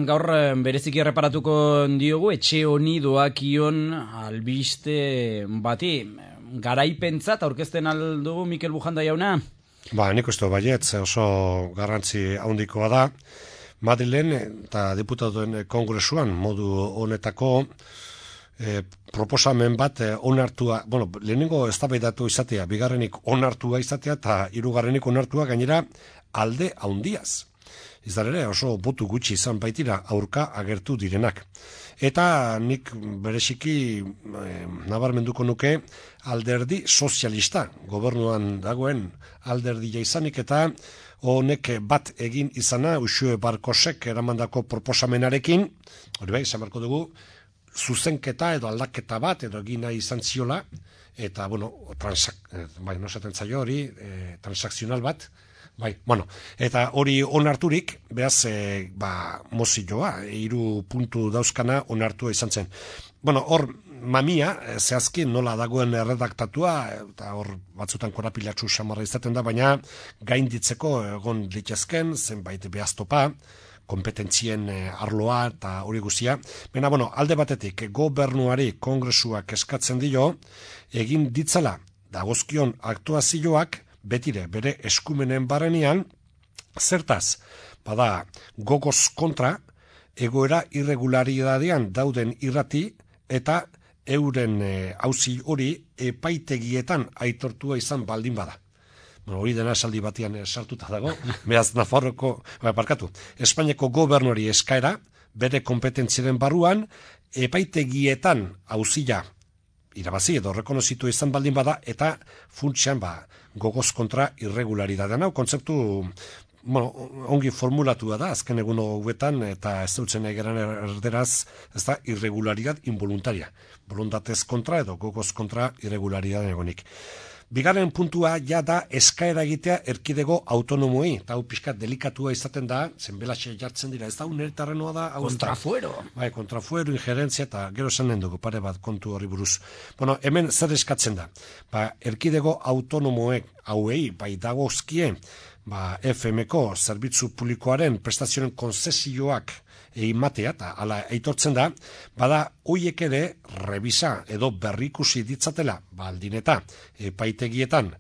gaur bereziki erreparatuko diogu etxe honi doakion albiste bati. Garaipentzat aurkezten aldugu Mikel Bujanda jauna? Nik uste baietz oso garrantzi handikoa da. Madrilen eta diputatuen kongresuan modu honetako proposamen bat onartua, lehenengo eztabaidatu izatea, bigarrenik onartua izatea eta hirugarrenik onartua gainera alde handiaz. Izan ere oso botu gutxi izan baitira aurka agertu direnak. Eta nik bereziki nabarmenduko nuke alderdi sozialista, gobernuan dagoen alderdia izanik eta honek bat egin izana Uxue Barkosek eramandako proposamenarekin, hori bai, izan barko dugu, zuzenketa edo aldaketa bat edo egina izan ziola, eta, transakzional bat, eta hori onarturik, behaz, mozioa, 3 puntu dauzkana onartua izan zen. Hor, mamia, zehazki nola dagoen erredaktatua, eta hor batzutan korapilatxu samarra izaten da, baina gainditzeko egon litezken, zenbait behaztopa, kompetentzien arloa eta hori guztia. Alde batetik, gobernuari kongresuak eskatzen dio, egin ditzala dagozkion aktuazioak, betire bere eskumenen barrenean, zertaz, gogoz kontra, egoera irregularidadean dauden irrati eta euren auzi hori epaitegietan aitortua izan baldin bada. Hori dena esaldi batian sartuta dago, behaz Espainiako gobernuari eskaera, bere kompetentziaren barruan, epaitegietan auzia irabazi edo rekonozitu izan baldin bada, eta funtsean gogoz kontra irregularidadean. Hau kontzeptu ongi formulatua da, azken egun hauetan, eta ez dutzen egeran erderaz, ez da irregularidad involuntaria. Voluntatez kontra edo gogoz kontra irregularidadean egonik. Bigarren puntua ja da eskaera egitea erkidego autonomoei, eta hau pixkat delikatua izaten da, zenbelaxe jartzen dira, ez da unertarrenoa da... Kontrafuero. Kontrafuero, injerentzia, eta gero esanen dugu pare bat kontu horri buruz. Hemen zer eskatzen da? Erkidego autonomoek hauei, dagozkie, FM-ko zerbitzu publikoaren prestazioen konzesioak eimatea, eta ala aitortzen da, hoiek ere revisa edo berrikusi ditzatela, aldin eta epaitegietan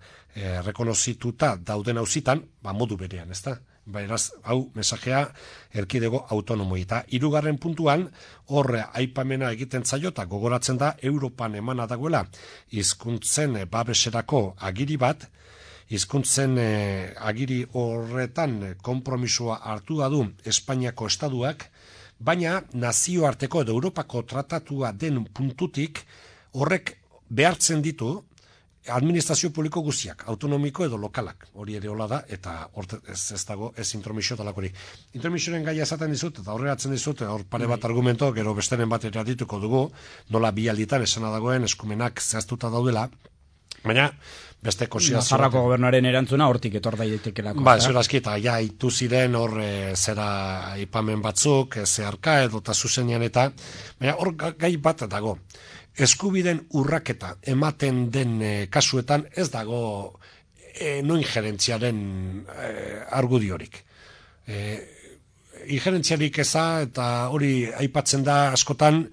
rekonozituta dauden auzitan, modu berean, ez da? Beraz, hau mesajea erkidego autonomoi. Eta 3. puntuan, horre aipamena egiten zaio eta gogoratzen da Europan emana dagoela hizkuntzen babeserako agiri bat, hizkuntzen agiri horretan konpromisoa hartu du Espainiako estaduak, baina nazioarteko edo Europako tratatua den puntutik horrek behartzen ditu administrazio publiko guztiak, autonomiko edo lokalak, hori ere hola da, eta ez dago ez intromisio talakorik. Intromisioaren gaia esaten dizut, eta horregatzen dizut, hor pare bat argumento, gero besteren bat eratituko dugu, nola bi alditan esana dagoen eskumenak zehaztuta daudela, baina beste konsiderazio... Nafarroako gobernuaren erantzuna hortik etor daitekelako. Zurazki, eta ja itu ziren hor zera aipamen batzuk, zeharka edo eta zuzenean eta, baina hor gai bat dago. Eskubiden urraketa ematen den kasuetan ez dago no injerentziaren argudiorik. Injerentziarik eza eta hori aipatzen da askotan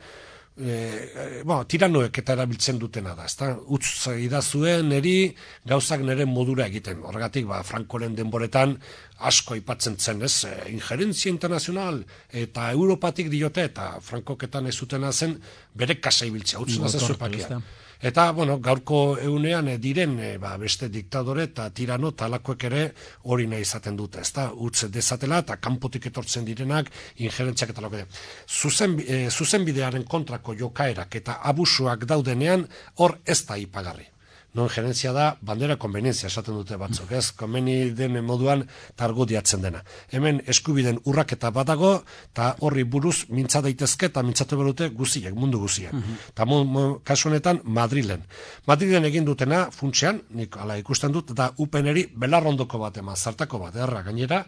tiranoek eta erabiltzen dutena da, ezta? Utz idazuen eri gauzak nire modura egiten. Horregatik, Frankoren denboretan asko aipatzen zen, ez? Injerentzia internazional eta Europatik diote eta Frankoketan ez zutena zen bere kasa ibiltzea, utz nazezu epakia. Eta, gaurko egunean diren beste diktadore eta tirano talakoek ere hori nahi izaten dute, ezta? Utz dezatela eta kanpotik etortzen direnak injerentziak eta talakoek. Zuzenbidearen kontrako jokaerak eta abusuak daudenean hor ez da ipagarri. Non gerentzia da bandera konvenientzia esaten dute batzuk, ez? Konbeni den moduan targudiatzen dena. Hemen eskubiden urraketa badago, eta horri buruz mintza daitezke eta mintzatu berute guziek, mundu guziek. Eta kasu honetan Madrilen. Madrilen egin dutena, funtsean, nik ala ikusten dut, eta upeneri belarrondoko bat eman, zartako bat, gainera,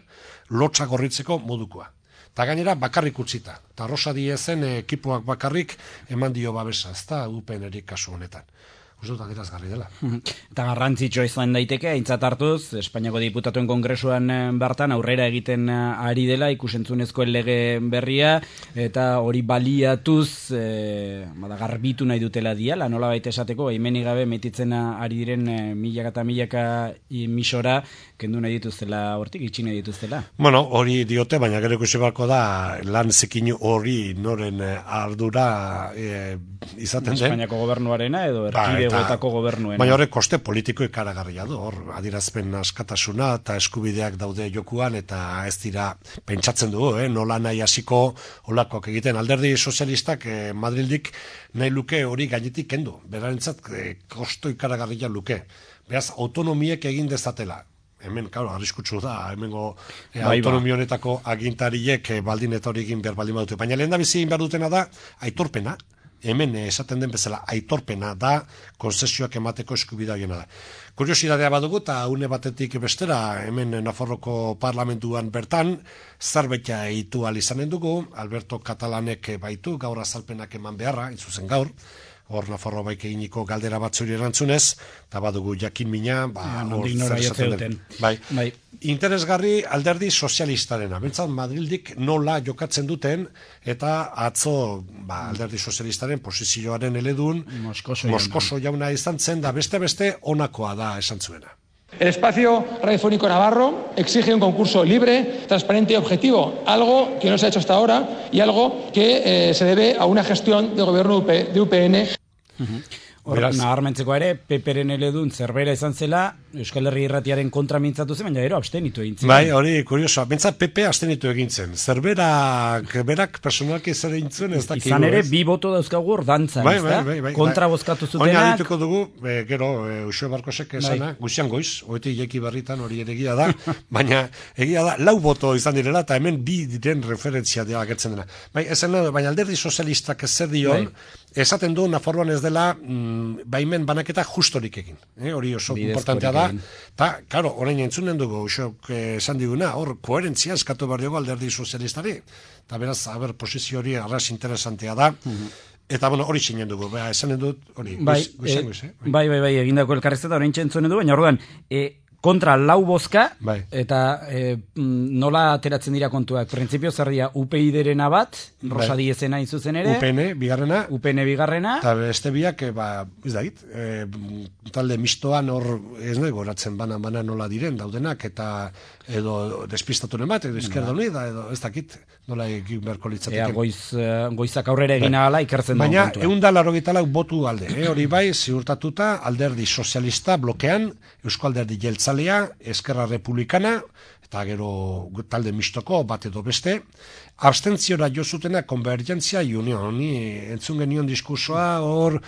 lotxa gorritzeko modukoa. Eta gainera bakarrik utzita. Eta Rosa Diezen ekipoak bakarrik eman dio babesa, ez da upeneri kasu honetan. uste dut adierazgarri dela. Eta garrantzitsua izan daiteke, aintzat hartuz, Espainiako Diputatuen Kongresuan bertan aurrera egiten ari dela, ikusentzunezko lege berria, eta hori baliatuz, garbitu nahi dutela diala, nola baita esateko, hemenik gabe metitzen ari diren milaka eta milaka emisora, kendu nahi dituztela, hortik itxi nahi dituztela. Bueno, hori diote, baina gero ikusi beharko da, lan zekin hori noren ardura izaten den. Espainiako gobernuarena edo erkidegoetako gobernuena. Baina horrek koste politiko ikaragarria du, hor adierazpen askatasuna eta eskubideak daude jokuan, eta ez dira pentsatzen dugu, nola nahi hasiko olakoak egiten. Alderdi sozialistak Madrildik nahi luke hori gainetik kendu, berarentzat kosto ikaragarria luke. Beraz, autonomiek egin dezatela. Hemen, claro, arriskutsu da, hemengo autonomionetako agintariek baldin eta hori egin behar baldin badute. Baina lehen da bizi egin behar dutena da, aitorpena, hemen esaten den bezala, aitorpena da, konzesioak emateko eskubidea gena da. Kuriosidadea badugu, eta une batetik bestera, hemen Nafarroko parlamentuan bertan, zerbetia eitu alizanen dugu, Alberto Catalanek baitu, gaur azalpenak eman beharra, intzuzen gaur, hor Nafarro baik eginiko galdera batzuri erantzunez, eta badugu jakin mina, nondik nora jotzen. Bai. Interesgarri alderdi sozialistarena. Bentsat Madrildik nola jokatzen duten, eta atzo alderdi sozialistaren posizioaren eledun, Moskoso jauna izan zen, da beste onakoa da esan zuena. El espacio radiofónico navarro exige un concurso libre, transparente y objetivo, algo que no se ha hecho hasta ahora y algo que se debe a una gestión de gobierno de UPN. Nabarmentzeko ere, PPren eledun zerbera izan zela, Euskal Herri Irratiaren kontra mintzatu zen, baina ero abstenitu egin zen. Bai, hori kuriosoa, bentsat PP abstenitu egin zen. Berak personalki zer egin zuen, ez dakik. Izan ere, bi boto dauzkagu hor dantzan, ez da? Kontra bozkatu zutenak. Oina dituko dugu, gero, Uxue Barkosek esana, guzian goiz, oetik jeki barritan hori ere egia da, baina egia da, 4 boto izan direla, eta hemen bi diren referentzia dira agertzen dena. Baina alderdi sozialistak ez zer dion, esaten du Nafarroan ez dela baimen banaketa justorik egin. Hori oso importantea da. Eta, karo, orain entzunen dugu, usok esan diguna, hor koherentzia eskatu behar diogo alderdi sozialistari. Eta beraz, posizio hori arras interesantea da. Eta, bueno, hori zinen dugu. Esanen dut, hori, guizan. Bai, egindako elkarrezeta, orain entzunen dugu, baina orduan, kontra 4 bozka, eta nola ateratzen dira kontuak. Printzipio zer dira, UPyD-rena bat, Rosa Diezena izuzen ere. UPN bigarrena. Eta beste biak, ez da hit, talde mistoan hor, ez nahi goratzen bana nola diren daudenak, eta edo despistatunen bat, edo Izquierda Unida, edo ez dakit, nola egin beharko litzateke. Goizak aurrera egin ahala ikertzen dugu kontua. Baina, 184 botu alde, hori bai, ziurtatuta, alderdi sozialista blokean, Eusko Alderdi Jeltzalea, Eskerra Republikana, eta gero talde mistoko bat edo beste, abstentziora jo zutena Konvergentzia Union, honi entzun genion diskursoa, hor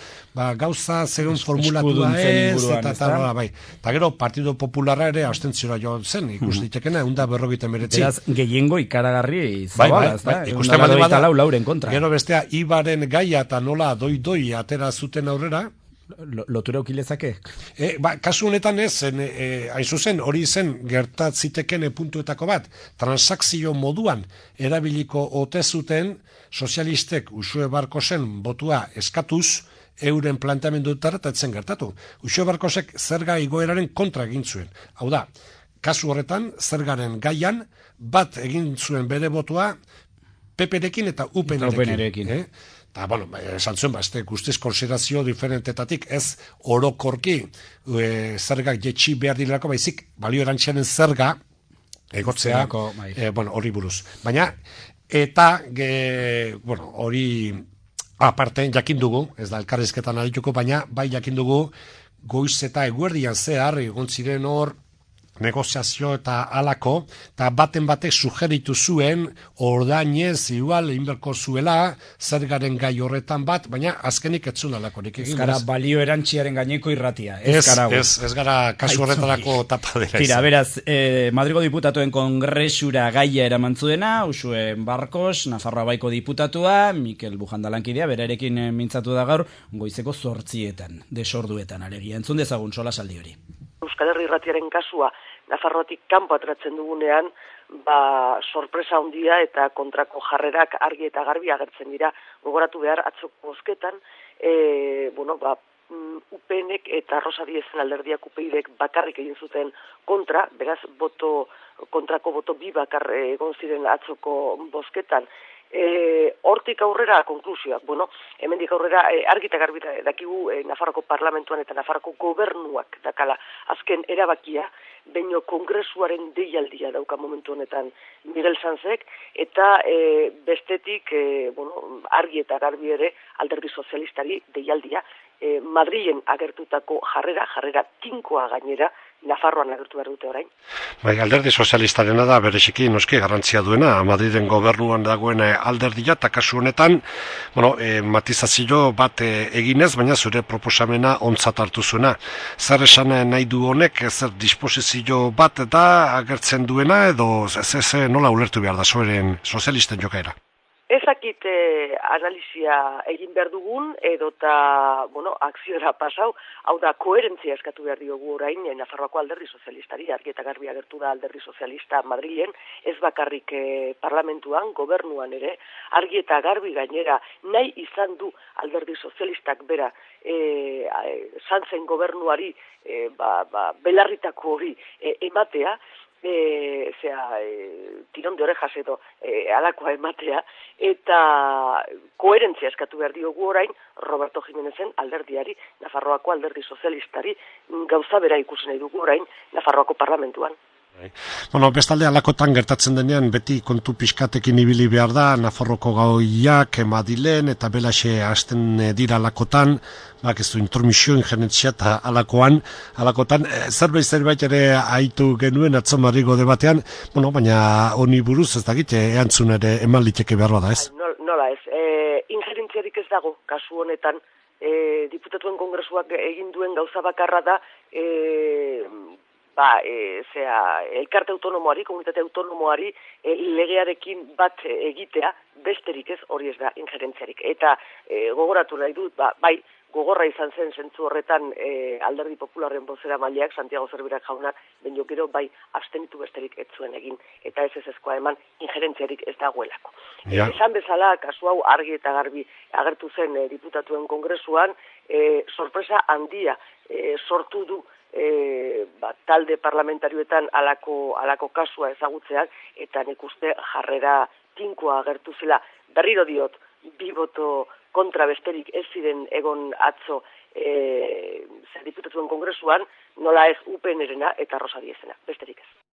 gauza zegoen formulatua ez, eta tal, bai. Eta gero Partido Popularra ere abstentziora jo zen, ikus ditekena, 159. Beraz, gehiengo ikaragarri zabala, ez da? Ikusten bada, lauren kontra. Gero bestea, Ibaren gaia eta nola doi atera zuten aurrera, lotura ukilezake? Kasu honetan ez, hain zuzen, hori zen gertatziteken puntuetako bat, transakzio moduan erabiliko ote zuten sozialistek Uxue Barkosen botua eskatuz, euren planteamendutara eta etzen gertatu. Uxue Barkosek zerga igoeraren kontra egin zuen. Hau da, kasu horretan, zergaren gaian, bat egin zuen bere botua PP-rekin eta UPN-rekin. Eta, bueno, esan zuen, ez guztiz konsiderazio diferentetatik, ez orokorki zergak jetxi behar direlako, baizik, balio erantzianen zerga egotzea, hori buruz. Baina, eta, hori aparte, jakin dugu, ez da elkarrizketan adituko, baina, bai jakin dugu, goiz eta eguerdian zehar, egon ziren hor, negoziazio eta alako, eta baten batek sugeritu zuen, ordainez, igual, inberko zuela, zergaren gai horretan bat, baina azkenik etzun alakorik egin. Ez gara balio erantziaren gaineko irratia. Ez gara kasu horretarako tapadera. Tira, beraz, Madrigo Diputatuen Kongresura gaia eramantzu dena, Uxue Barkos, Nafarroa Baiko diputatua, Mikel Bujandalankidea, berarekin mintzatu da gaur, goizeko 8 desorduetan, alegia. Entzun dezagun sola saldi hori. Euskal Herri Irratiaren kasua Nafarroatik kanpo ateratzen dugunean, sorpresa handia eta kontrako jarrerak argi eta garbi agertzen dira. Gogoratu behar atzoko bozketan, UPNek eta Rosa Diezen alderdiak UPyDek bakarrik egin zuten kontra, beraz kontrako boto bi bakar egon ziren atzoko bozketan. Hortik aurrera konklusioak, hemendik aurrera argi eta garbi dakigu Nafarroko parlamentuan eta Nafarroko gobernuak dakala azken erabakia, baino kongresuaren deialdia dauka momentu honetan Miguel Sanzek, eta bestetik argi eta garbi ere alderdi sozialistari deialdia, Madrilen agertutako jarrera tinkoa gainera, Nafarroan agertu behar dute orain. Bai, alderdi sozialistarena da bereziki noski garrantzia duena, Madrilen gobernuan dagoen alderdia, eta kasu honetan, matizazio bat eginez, baina zure proposamena ontzat hartu zuena. Zer esan nahi du honek, zer disposizio bat da agertzen duena, edo nola ulertu behar da zoren sozialisten jokaera? Ezakit analizia egin behar dugun, edota, akziora pasau, hau da, koherentzia eskatu behar diogu orain, Nafarroako alderdi sozialistari, argi eta garbi agertu da alderdi sozialista Madrilen, ez bakarrik parlamentuan, gobernuan ere, argi eta garbi gainera, nahi izan du alderdi sozialistak bera, Sanzen gobernuari, belarritako hori ematea, tirón de orejas edo alakoa ematea, eta koherentzia eskatu behar diogu orain Roberto Jiménezen alderdiari, Nafarroako alderdi sozialistari, gauza bera ikusi nahi dugu orain Nafarroako parlamentuan. Bestalde alakotan gertatzen denean beti kontu pixkatekin ibili behar da, Nafarroko gaoiak, Madilen eta belaxe hasten dira alakotan, ez du intermisio, injerentzia eta alakotan, zerbait ere haitu genuen atzomarrigo debatean, baina honi buruz ez dakit, erantzun ere eman liteke behar da, ez? Nola ez, injerentziarik ez dago, kasu honetan, diputatuen kongresuak egin duen gauza bakarra da, elkarte autonomoari, komunitate autonomoari legearekin bat egitea, besterik ez, hori ez da injerentziarik. Eta gogoratu nahi dut, gogorra izan zen zentzu horretan alderdi popularren bozera maileak, Santiago Zerbirak jaunak, baino gero abstenitu besterik ez zuen egin, eta ez ezkoa eman injerentziarik ez dagoelako. Esan bezala, kasu hau argi eta garbi agertu zen diputatuen kongresuan, sorpresa handia sortu du talde parlamentarioetan alako kasua ezagutzeak, eta nik uste jarrera tinkoa agertu zela. Berriro diot, bi boto kontra besterik ez ziren egon atzo diputatuen kongresuan, nola ez UPN-erena eta Rosa Diezena, besterik ez.